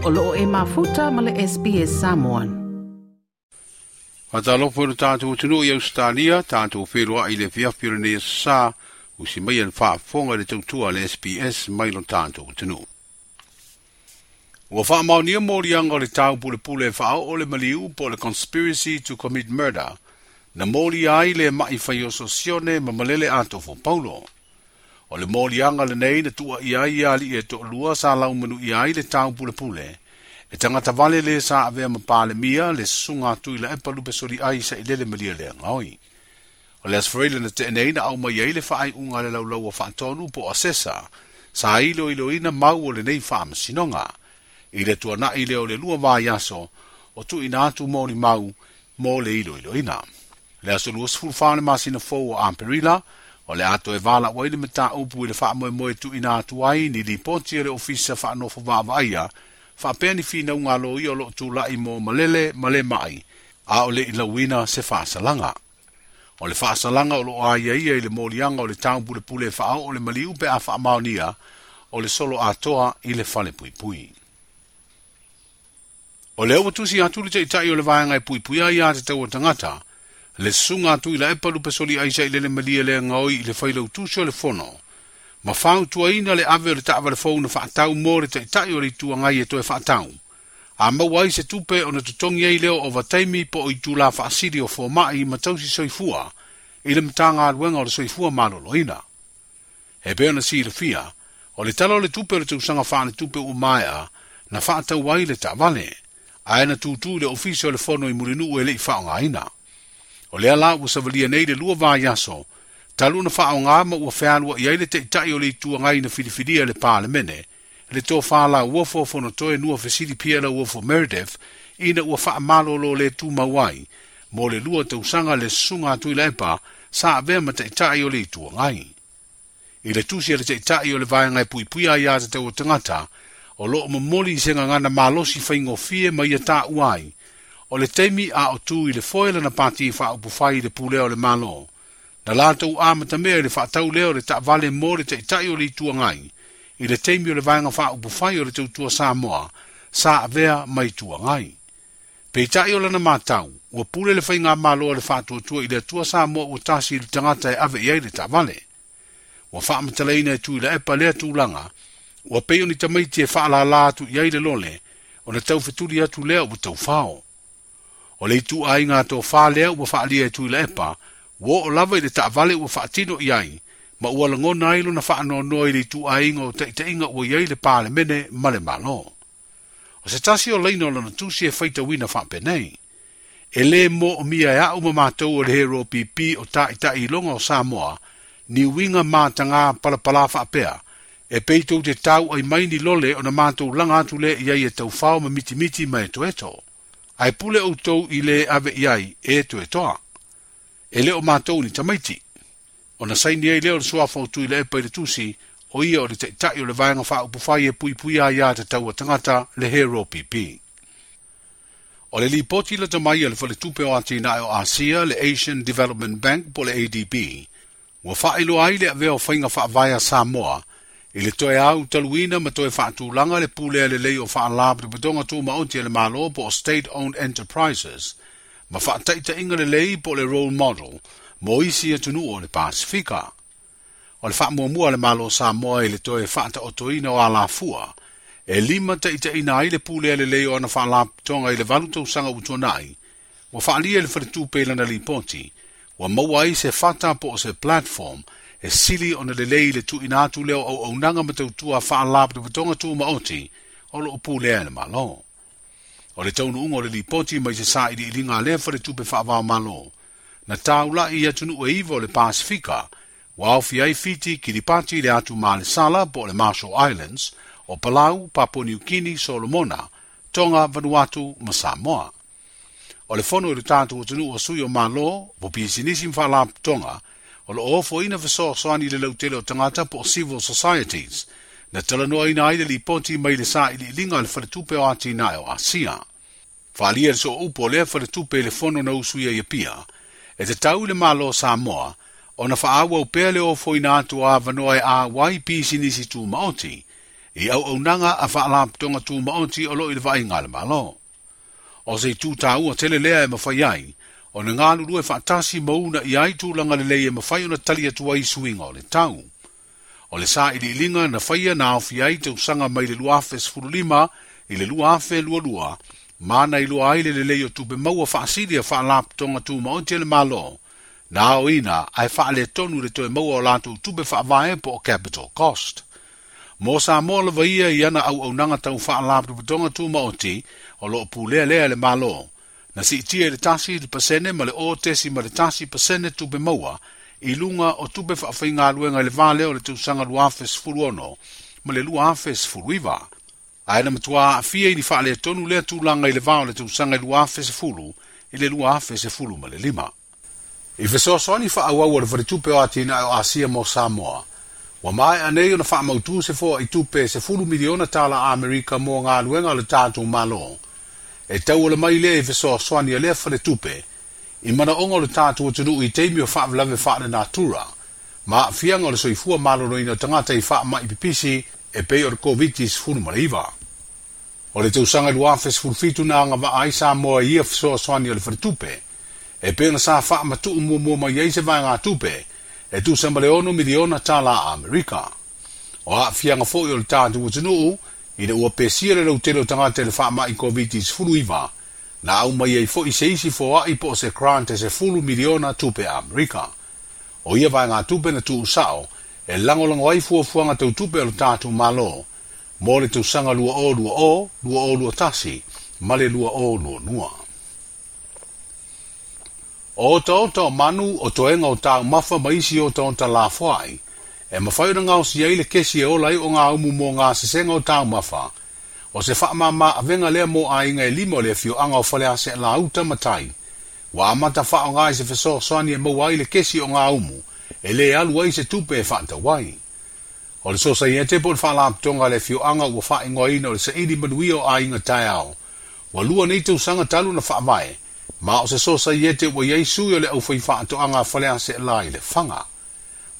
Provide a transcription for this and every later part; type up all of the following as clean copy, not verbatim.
O loo e mafuta ma le SBS Samoan. Faatalofa i lo tatou atunuu i Ausetalia, tatou feloai i le afiafi o lenei aso Sa, usi maia le faafofoga i le tautua a le SBS mai lo tatou atunuu. Ua faamaonia moliaga o le taupulepule e faaoo le maliu po o le conspiracy to commit murder, na molia ai le ma'i faioso Sione ma Malele Atofo Paulo. O le moliaga lenei na tuuaia ai alii e toalua sa laumanuia ai le taupulepule, e tagata vale le sa avea ma Palemia le susuga a Tuilaepa Lupesoliai Sailele Malielegaoi. O le Aso Faraile na tea nei na aumai ai le faaiuga a le Laulau a Faatonu po o Asesa, sa iloiloina mau o lenei faamasinoga. I le tuanai lea o le 2 vaiaso o tuuina atu molimau mo le iloiloina. Le aso 24 o le masina fou o Aperila, o le a toe valaau ai le mataupu i le faamoemoe tuuina atu ai ni lipoti a le Ofisa Faanofo Vaavaaia, faapea ni finauga aloaia o loo tulai mo Malele ma le ma'i, a o le i lauina se faasalaga. O le faasalaga o loo aiaia i le moliaga o le taupulepule e faaoo le maliu pe a faamaonia o le solo atoa i le fale puipui. O lea ua tusi atu le taitai o le vaega e puipuia aiā tatau a tagata, le susuga a Tuilaepa Lupesoliai Sailele Malielegaoi i le failautusi o le fono, ma fautuaina le ave o le taavale fou na faatau mo le taitai o le Itu Agai e toe faatau. A maua ai se tupe ona totogi ai lea o ovataimi po o itula faasili o fomai ma tausi soifua i le Matagaluega o le Soifua Maloloina. E pei ona silafia, o le Tala o le Tupe o le tausaga faaletupe ua maea na faatau ai le taavale, ae na tutu i le Ofisa o le Fono i Mulinuu e le i faaaogaina. O lea la ua savalia nei le 2 vaiaso, talu ona faaaoga ma ua fealuai ai le taitai o le Itu Agai na filifilia e le Palemene, le tofa lauofo o Fonotoe Nua Fesili Pierre Lauofo Meredith, ina ua faamalolo le tumau ai, mo le 2 tausaga le susuga a Tuilaepa sa avea ma taitai o le Itu Agai. I le tusi a le taitai o le vaega e puipuia aiā tatau a tagata, o loo momoli i se gagana malosi faigofie ma ia taua ai, o le taimi a o tu i le foe lana pati faaupufai i le pulea o le Malo, na latou amatamea i le faatau lea o le taavale mo le taitai o le Itu Agai, i le taimi o le vaega faaupufai o le Tautua Samoa, sa avea ma Itu Agai. Peitai o lana matau, ua pule le faigamalo a le faatuatua i le Atua Samoa ua tasi i le tagata e ave i ai le taavale. Ua faamatalaina e Tuilaepa lea tulaga, ua pei o ni tamaiti e faalala atu i ai le lole, ona taufetuli atu lea ua taufao. O le ituaiga tofa lea ua faalia e Tuilaepa, ua oo lava i le taavale ua faatino i ai, ma ua lagona ai lona faanoanoa i le ituaiga o taitaiga ua i ai le Palemene ma le Malo. O se tasi o laina o lana tusi e faitauina faapenei, e lē moomia e a'u ma matou o le Hero PP o taitai iloga o Samoa, ni uiga mataga palapala faapea, e pei tou te tau ai mai ni lole ona matou laga atu lea i ai e taufao ma mitimiti ma etoeto. Ae pule outou i le ave i ai e etoetoa. E le o matou ni tamaiti. Ona saini ai lea o le suafa o Tuilaepa i le tusi, o ia o le taitai o le vaega faaupufai e puipuia aiā tatau a tagata le Hero PP. O le lipoti lata mai a le Faletupe o Atinae o Asia, le Asian Development Bank po o le ADB, ua faailoa ai le avea o faiga faavae a Samoa i le toe au taluina ma toe faatulaga le pulea lelei o faalapotopotoga tumaoti a le Malo po o State Owned Enterprises, ma faataitaiga lelei po o le role model mo isi atunuu o le Pasifika. O le faamuamua a le Malo o Samoa i le toe faataotoina o alafua, e lima taitaiina ai le pulea lelei o ana faalapotopotoga i le 8 tausaga ua tuanai, ua faalia i le Faletupe i lana lipoti, ua maua ai se fata po o se platform e sili ona lelei i le tuuina atu lea o auaunaga ma tautua faalapotopotoga tumaoti o loo pulea e le Malo. O le taunuuga o le lipoti mai se sailiiliga a lea Faletupe faava-o-Malo, na taulai i atunuu e 9 o le Pasifika, ua aofia ai Fiti, Kiribati, le atu Malesala po o le Marshall Islands, o Palau, Papua New Guinea, Solomona, Tonga, Vanuatu ma Samoa. O le fono i le tatou atunuu o sui o Malo, po pisinisi ma faalapotopotoga, o loo ofoina fesoasoani i le lautele o tagata po o civil societies, na talanoaina ai le lipoti mai le sailiiliga a le Faletupe o Atinae o Asia. Faalia le sooupu o lea Faletupe i le fono na usuia i Apia, e tatau i le Malo o Samoa, ona faaauau pea le ofoina atu o avanoa e auai pisinisi tumaoti, i auaunaga a faalapotopotoga tumaoti o loo i le vaaiga a le Malo. O se itu taua tele lea e mafai ai ona galulue faatasi ma uunaia ai tulaga lelei e mafai ona tali atu ai i suiga o le tau. O le sailiiliga na faia na aofia ai tausaga mai le 2015 i le 2022 ma na iloa ai le lelei o tupe maua faasili a faalapotopotoga tumaoti a le Malo na aoina ae faaletonu le toe maua o latou tupe faavae po o capital cost. Mo Samoa lava ia i ana auaunaga tau faalapotopotoga tumaoti o loo pulea lea e le Malo, na siitia i le 1% ma le 0.1% tupe maua i luga o tupe faafaigaluega i le va lea o le tausaga 2016 ma le 2019. Ae na matua aafia i ni faaletonu lea tulaga i le va o le tausaga 2010 i le 2015. I fesoasoani faaauau a le Faletupe o Atinae o Asia mo Samoa, ua maea nei ona faamautu se foaitupe e $10 miliona tala Amerika mo galuega a le tatou Malo. E tauala mai lea i fesoasoani a lea faletupe i manaoga o le tatou atunuu i taimi o faalavelave faalenatura ma aafiaga o le soifua maloloina o tagata i faamai pipisi e pei o le Koviti-19. O le tausaga 2017 na agavaa ai Samoa i ia fesoasoani a le faletupe, e pei ona sa faamatuu muamua mai ai se vaegatupe e tusa ma le $6 miliona tala Amerika. O aafiaga foi o le tatou atunuu ina ua pesia le lautele o tagata i le faamai Koviti-19, na aumai ai foi se isi foai po o se grant e $10 miliona tupe Amerika. O ia vaegatupe na tuusao e lagolago ai fuafuaga tau tupe o le tatou Malo mo le tausaga 2020, 2021 ma le 2022. O otaota o manu, o toega o taumafa ma isi otaota lafoai, e mafai ona gaosia ai le kesi e ola ai ogaumu mo gasesega o taumafa. O se faamama avega lea mo aiga e 5 o le afioaga o Faleaseela Uta ma Tai. Ua amata faaaoga i se fesoasoani e maua ai le kesi ogaumu, e le alu ai se tupe e faatau ai. O le sosaiete po o le faalapotopotoga a le afioaga ua faaigoaina o le Saili Manuia o Aiga Taeao. Ua 2 nei tausaga talu na faavae, ma o se sosaiete ua iai sui o le aufaifaatoaga a Faleaseela i Lefaga.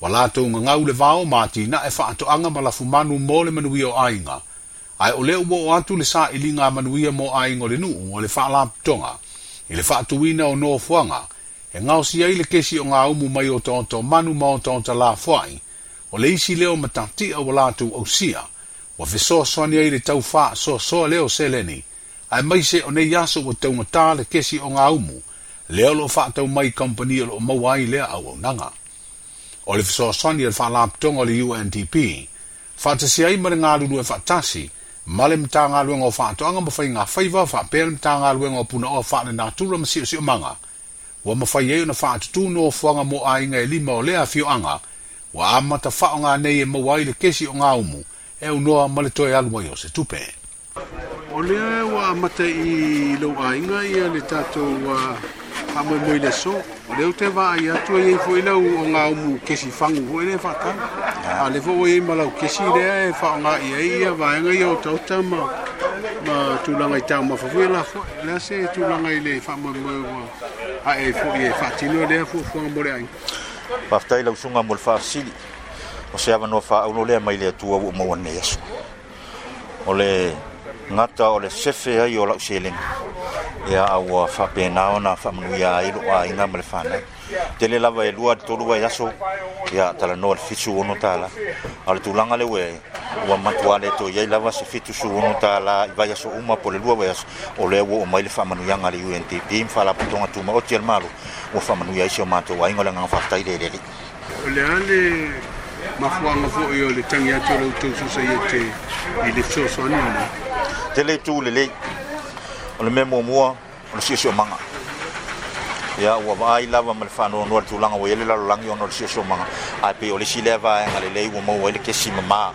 Ua latou gagau le vao ma atinae faatoaga ma lafumanu mo le manuia o aiga. Ae o lea ua oo atu le sailiga a manuia mo aiga o le nuu o le faalapotopotoga i le faatuina o nofoaga e gaosia ai le kesi ogaumu mai otaota o manu ma otaota lafoai. O le isi lea o matatia ua latou ausia, ua fesoasoani ai le tau faasoasoa lea o seleni, aemaise o nei aso ua taugata le kesi ogaumu, lea o loo faatau mai kampani o loo maua ai lea auaunaga. O le fesoasoani a le faalapotopotoga o le UNDP, faatasi ai ma le galulue faatasi, ma le Matagaluega o Faatoaga ma Faiga Faiva faapea le Matagaluega o Punaoa Faalenatura ma Siosiomaga, ua mafai ai ona faatutū nofoaga mo aiga e 5 o lea afioaga, ua amata faaaoga nei e maua ai le kesi ogaumu, e aunoa ma le toe alu ai o se tupe. O lea ua amata i lou aiga ia le tatou faamoemoe i le aso. O lea ou te vaai atu ai foi lau ogaumu kesi fagu foi lea faatau. A lea foi ua iai ma lau kesi lea e faaaoga i ai ia vaega ia otaota ma tulaga i taumafa foi e lafoai. O le a se tulaga i le faamoemoe ua ae ai foi e faatino lea fuafuaga mo le aiga? Faafetai lau susuga mo le faafesili. O se avanoa faaaulo lea mai le Atua ua maua nei aso. O le gata o le sefe ai o lau seleni, ia a ua faapena ona faamanuia ai lou aiga ma le fanau. Tele lava e 2 3 vaiaso, ia talanoa le $76. A o le tulaga lea ua matua le toe iai lava se $76 i vaiaso uma po o le 2 vaiaso, o lea ua oo mai le faamanuiaga a le UNDP ma Faalapotopotoga Tumaoti a le Malo, ua faamanuia ai si o matou aiga. O le agaga faafetai lea i le Alii. O le a le mafuaaga foi o le tagi atu o la outou sosaiete i le fesoasoani lenei? Tele itu lelei. O le mea muamua, o le siosiomaga. Ia ua vaai lava ma le faanoanoa i le tulaga ua i ai le lalolagi ona o le siosiomaga, ae pei o le isi lea vaega lelei ua maua ai le kesi mama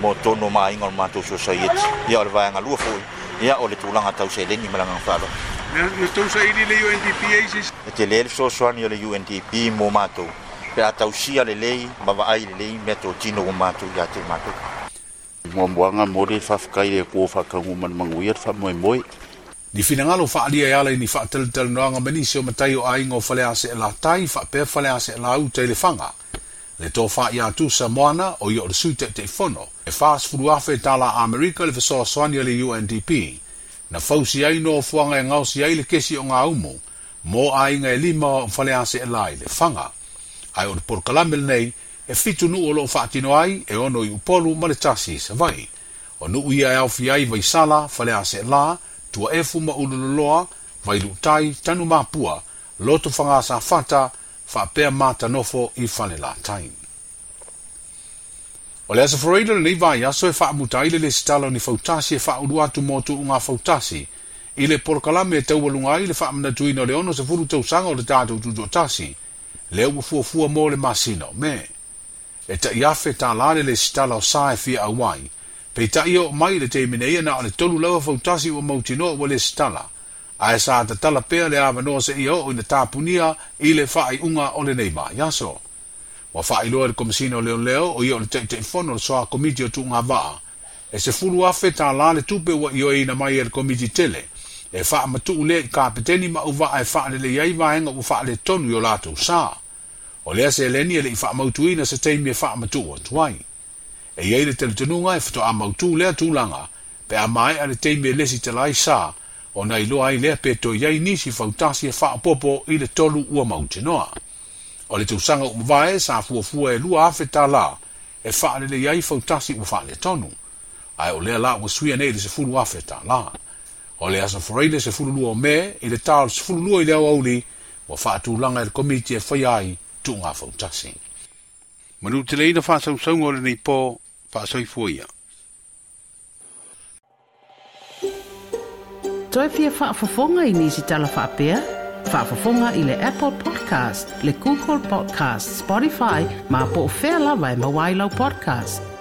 mo totonu o maaiga o le matou sosaiete. Ia o le vaega lua foi, ia o le tulaga tau seleni ma le agaga faaaloalo. Na tou saili le UNDP ai se E tele le fesoasoani o le UNDP mo matou, pe a tausia lelei ma vaai lelei mea totino ua matou ia te matou. Muamuaga mo le faafetai i le Atua faataunuu ma le manuia le faamoemoe. Ni finagalo faaalia e ala i ni faatalatalanoaga ma nisi o matai o aiga o Faleaseela Tai faapea Faleaseela Uta i Lefaga. Le Tofa ia Tusa Moana, o ia o le Sui Taitaifono, e $40,000 tala Amerika le fesoasoani a le UNDP, na fausi ai nofoaga e gaosi ai le kesi o Gaumu, mo aiga e 5 o Faleaseela i Lefaga. Ae o le polokalame lenei, e 7 nuu o loo faatino ai, e 6 i Upolu ma le 1 i Savaii. O nuu ia e aofia ai Vaisala, Faleaseela, Tuaefu ma Ululoloa, Vailuutai, Tanumapua, Lotofaga Safata, faapea Matanofo i Falelatai. O le Aso Faraile lenei vaiaso e faamuta ai le lesitala o ni fautasi e faaulu atu mo tuuga fautasi i le polokalame e taualuga ai le faamanatuina o le 60 tausaga o le tatou tutoatasi, lea ua fuafua mo le masina o Me. E tai afe tā le lesitala o sa e fia auai, peitai o mai le taimi nei na o le 3 lava fautasi ua mautinoa ua lesitala, ae sa tatala pea le avanoa seia oo ina tapunia i le faaiuga o lenei vaiaso. Ua faailoa e le Komesina o Leoleo o ia o le Taitaifono o le Soa Komiti o Tuuga Vaa, e $10,000 tā le tupe ua ioeina mai e le komiti tele, e faamatuu lea i kapeteni ma auvaa e faalelei ai vaega ua faaletonu i o latou sa. O lea seleni e le i faamautuina se taimi e faamatuu atu ai. E iai le talitonuga e faatoa mautu lea tulaga, pe a maea le taimi e lesitala ai sa, ona iloa ai lea pe toe iai nisi fautasi e faaopoopo i le 3 ua mautinoa. O le tausaga ua mavae sa fuafua e $2,000 tā e faalelei ai fautasi ua faaletonu. Ae o lea la ua suia nei i le $10,000 tā. O le Aso Faraile 12 o Me i le tā o le 12 i le aoauli ua faatulaga e le komiti e faia ai tuuga fautasi. Manuteleina faasausauga o lenei po, faasoifua ia. Toe fia faafofoga i nisi tala faapea? Faafofoga i le Apple Podcast, le Google Podcast, Spotify, ma po o fea lava e maua ai lau podcast.